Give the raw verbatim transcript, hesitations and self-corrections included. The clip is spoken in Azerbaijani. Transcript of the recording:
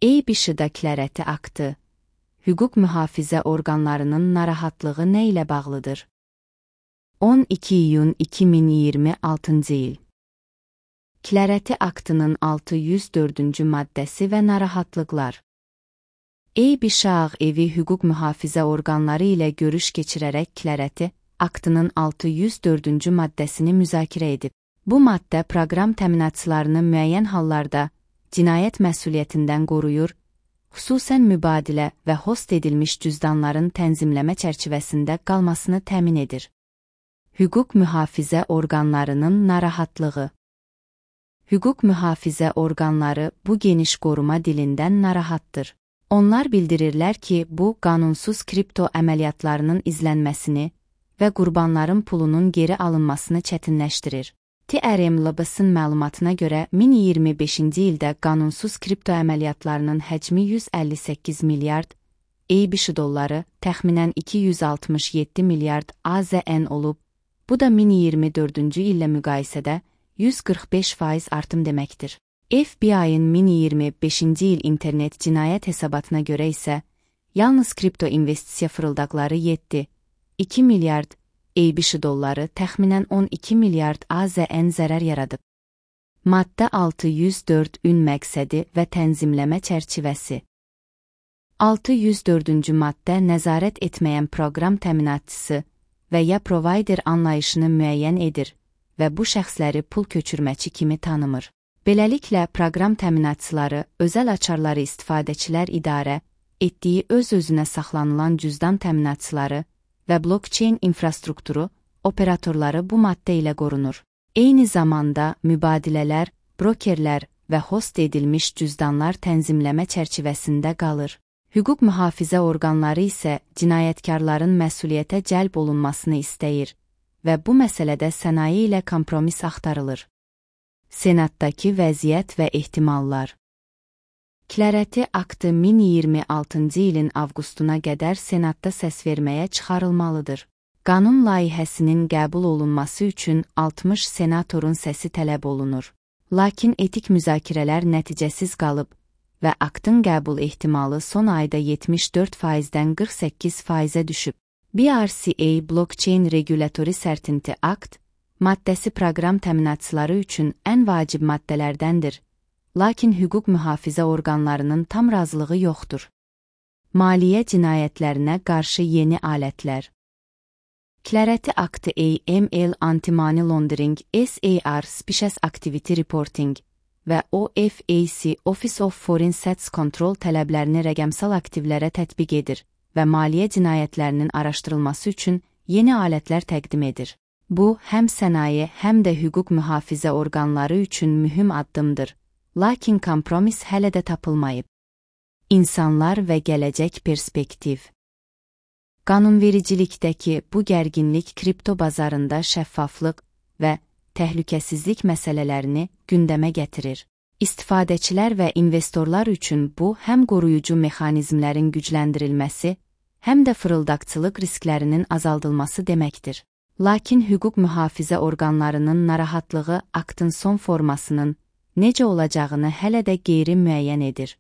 E-B-Ş-da klərəti aktı. Hüquq mühafizə orqanlarının narahatlığı nə ilə bağlıdır? on iki iyun iki min iyirmi altıncı il. Klərəti aktının altı yüz dördüncü maddəsi və narahatlıqlar. E-B-Ş Ağ Evi hüquq mühafizə orqanları ilə görüş keçirərək klərəti aktının altı yüz dördüncü maddəsini müzakirə edib. Bu maddə proqram təminatçılarını müəyyən hallarda cinayət məsuliyyətindən qoruyur, xüsusən mübadilə və host edilmiş cüzdanların tənzimləmə çərçivəsində qalmasını təmin edir. Hüquq mühafizə orqanlarının narahatlığı. Hüquq mühafizə orqanları bu geniş qoruma dilindən narahatdır. Onlar bildirirlər ki, bu, qanunsuz kripto əməliyyatlarının izlənməsini və qurbanların pulunun geri alınmasını çətinləşdirir. T R M L B-sın məlumatına görə iki min iyirmi beşinci ildə qanunsuz kripto əməliyyatlarının həcmi yüz əlli səkkiz milyard E-B-Ş dolları, təxminən iki yüz altmış yeddi milyard A Z N olub. Bu da iki min iyirmi dördüncü illə müqayisədə yüz qırx beş faiz artım deməkdir. F B I-ın iki min iyirmi beşinci il internet cinayət hesabatına görə isə, yalnız kripto investisiya fırıldaqları yeddi nöqtə iki milyard E-B-Ş dolları, təxminən on iki milyard A Z N zərər yaradıb. Maddə altı yüz dörd ün məqsədi və tənzimləmə çərçivəsi. altı yüz dördüncü maddə nəzarət etməyən proqram təminatçısı və ya provayder anlayışını müəyyən edir və bu şəxsləri pul köçürməçi kimi tanımır. Beləliklə, proqram təminatçıları özəl açarları istifadəçilər idarə etdiyi öz-özünə saxlanılan cüzdan təminatçıları və blockchain infrastrukturu operatorları bu maddə ilə qorunur. Eyni zamanda mübadilələr, brokerlər və host edilmiş cüzdanlar tənzimləmə çərçivəsində qalır. Hüquq mühafizə orqanları isə cinayətkarların məsuliyyətə cəlb olunmasını istəyir və bu məsələdə sənaye ilə kompromis axtarılır. Senatdakı vəziyyət və ehtimallar. Klərəti aktı iki min iyirmi altıncı ilin avqustuna qədər Senatda səsverməyə çıxarılmalıdır. Qanun layihəsinin qəbul olunması üçün altmış senatorun səsi tələb olunur. Lakin etik müzakirələr nəticəsiz qalıb və aktın qəbul ehtimalı son ayda yetmiş dörd faizdən qırx səkkiz faizə düşüb. B R C A Blockchain Regulatory Certainty Act maddəsi proqram təminatçıları üçün ən vacib maddələrdəndir, lakin hüquq mühafizə orqanlarının tam razılığı yoxdur. Maliyyə cinayətlərinə qarşı yeni alətlər. Klərəti aktı A M L Anti-Money Laundering S A R Specious Activity Reporting və O F A C Office of Foreign Assets Control tələblərini rəqəmsal aktivlərə tətbiq edir və maliyyə cinayətlərinin araşdırılması üçün yeni alətlər təqdim edir. Bu, həm sənaye, həm də hüquq mühafizə orqanları üçün mühüm addımdır, lakin kompromis hələ də tapılmayıb. İnsanlar və gələcək perspektiv. Qanunvericilikdəki bu gərginlik kripto bazarında şəffaflıq və təhlükəsizlik məsələlərini gündəmə gətirir. İstifadəçilər və investorlar üçün bu, həm qoruyucu mexanizmlərin gücləndirilməsi, həm də fırıldaqçılıq risklərinin azaldılması deməkdir. Lakin hüquq mühafizə orqanlarının narahatlığı aktın son formasının necə olacağını hələ də qeyri-müəyyən edir.